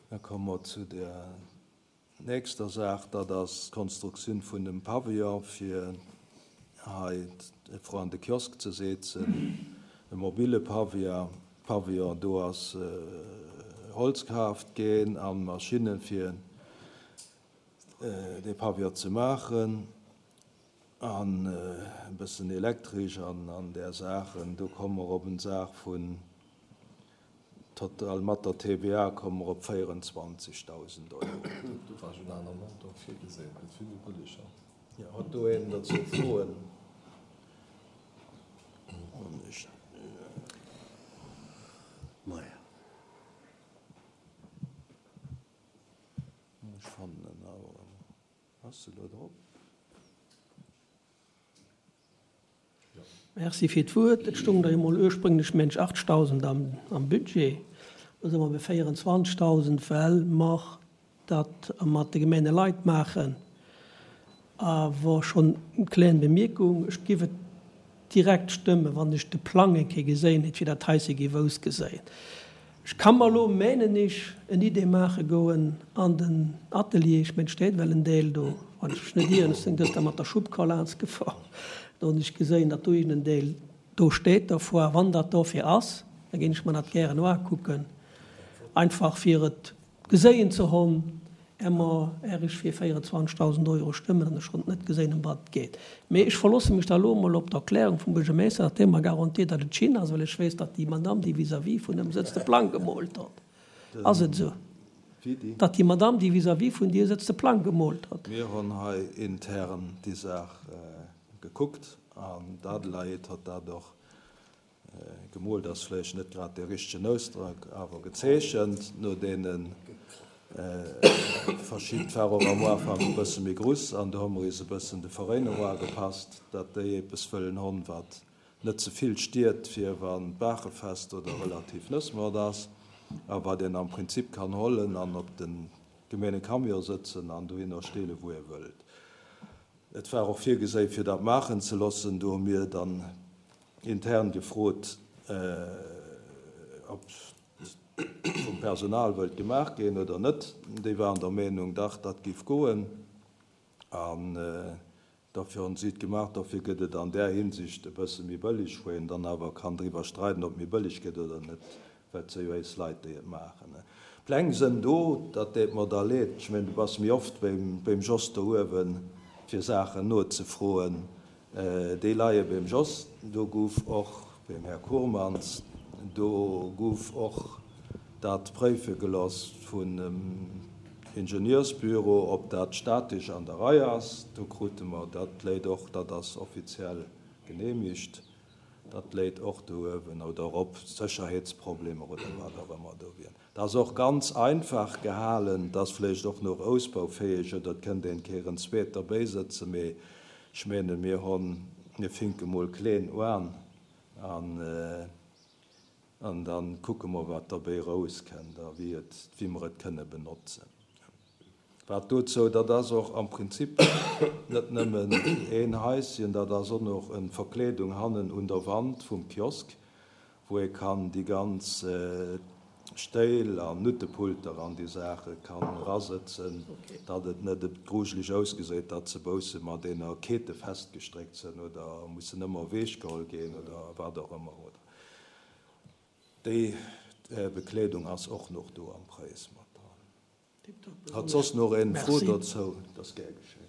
Da komme mer zu der nächster Saach, dat ass d'Konstruktioun vun dem Pavillon, fir hei vru an de Kiosk ze seetzen, e mobile Pavillon. Do ass Holz kaaft ginn a Maschinne fir dee Pavillon ze maachen an e bëssen Elektresch an där Saachen. Do komme mer op en Saach vun Total mat der TVA komme mer op 24.000 Euro. Do war ech en aner Montant virgesinn, gëtt vill méi bëlleg. Jo, huet do een dozou Froen? Ech fannen en awer. Ass se elo drop? Merci fir d'Wuert. Et stoung der jo mol ursprünglech mensch 8.000 am Budget. Elo si mer bei 24.000, well mer dat mat de Gemengeleit maachen. Awer schonn eng kleng Bemierkung, Ech giff et direkt stëmmen, wann ech de Plang eng Kéier geséin hätt, wéi dat heise géif ausgeséien. Ech ka mer elo, menen ech, en Idee maache goen an den Atelier, ech mengen, et steet well en Deel do, wann ech mech net ieren, ech sinn gëschter mat der Schubkar laanscht gefuer, do hunn ech geséin, datt do iergend en Deel do steet dervor. Wann dat dofir ass, da géing ech mer dat gären uakucken, einfach fir et Geséien ze honn, är mer är ech fir 24.000 Euro stëmmen an ech schonn net geséien ëm wat et geet. Mee ech verlosse mech da elo emol op d'Erklärung vum Buergermeeschter, datt dee mer garantiert, datt et Chine ass, well ech weess, datt déi Madame, déi vis-à-vis vun ëm sëtzt, de Plang gemoolt hott. Ass et esou, datt déi Madame, déi vis-à-vis vun dir sëtzt, de Plang gemoolt hott? Mir honn hei intern déi Saach gekuckt an d'Adelaide hott dat och Gemoolt ass vläicht net grad dee richtegen Ausdrock, awer gezeechent. No deene verschidden, war och am Ufank e bësse méi gruss an do hu mer is e bëssen de Veréinung uagepasst, datt déi eppes wëllen honn, wat net ze vill stiert, fir wann d'Baachefest oder relativ Nëssmoart ass, a wat een am Prinzip kann hollen an op de gemeene Camion sëtzen an dohinner steele wou ee wëllt. Et war och virgeséi fir dat maachen ze loossen. Do hu mir dann intern gefrot, ob vum Personal wëllt gemaach ginn oder net. Déi waren der Meenung, dach, dat géif goen. An dofir hunn si et gemaach. Dofir gëtt et an där Hinsicht e bësse méi bëlleg, wou een dann awer kann driwwer streiden, ob et méi bëlleg gëtt oder net, well et si jo éis Leit, déi et maachen. D'Pläng sënn do, dat deet mer da leed. Ech mengen, du bass méi oft beim Jos do uewen, fir Saachen nozefroen. Déi leie beim Jos. Do gouf och, beim Här Kourmans, do gouf och dat préife gelooss vun em Ingenieursbüro, ob dat statesch an der Rei ass. Do krute mer, dat léit och, dat ass offiziell genehmigt. Dat léit och do uewen oder op Sécherheetsproblemer oder wat och ëmmer do wieren. Dat ass och ganz einfach gehalen, dat ass vläicht och nach ausbaufäeg oder et kënnt een Kéier en zweet derbäisëtzen, mee ech menen, mir honn, mir finke mol kleen uan an an da kucke mer, wat derbäi erauskënnt a wéi et, wéi mer et kënne benotzen. Wat dozou, dat ass och am Prinzip net nëmmen een Haischen, dat ass och nach en Verkleedung hannen un der Wand vum Kiosk, wou ee kann déi ganz Stéil an Nuttepulter an déi Saache kann erasëtzen, datt et net grujeleg ausgeséit, datt se bousse mat eener Kete festgestréckt sënn oder mussen ëmmer ewechgeholl ginn oder wat och ëmmer. Oder déi Bekleedung ass och nach do am Präis mat dran. Hat soss nach een Fro dozou? Dat ass gär geschéen.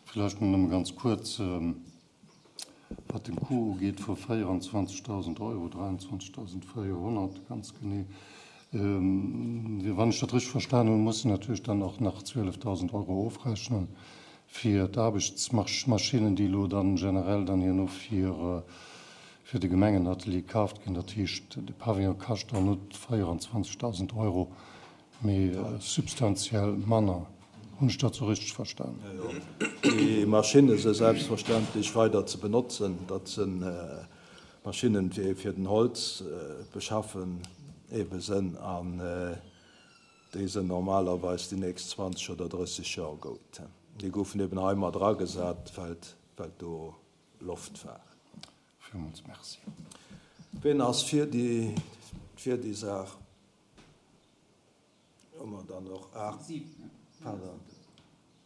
Vläicht nëmme ganz kuerz, wat den Coût ugeet vu 24.000 Euro, 23.400 ganz genee. Wann ech dat richteg verstanen hunn, muss een natierlech dann och nach 12.000 Euro ofrechnen fir d'Aarbechtsmaschinnen, déi elo dann generell dann herno fir fir de Gemengenatelier kaaft ginn. Dat heescht, de Pavillon kascht dann net 24.000 Euro, mee substantiell manner. Hunn ech dat sou richteg verstan? Jo, jo. Déi Maschinne se selbstverständlech weider ze benotzen. Dat si Maschinnen, déi fir den Holz beschaffen ebe sënn. An déi sënn normalerweis déi nächst 20 oder 30 Joer gout. Déi goufen eben hei mat eragesat, well do. Loftfaart. Villmools Merci. Ween ass fir déi, fir déi Saach? Hu mer dann och 8, pardon,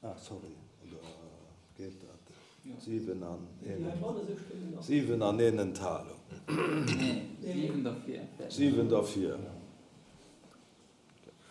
ah sorry, oder geet dat? 7 an een, 7 an een Enthalung. 7 derfir.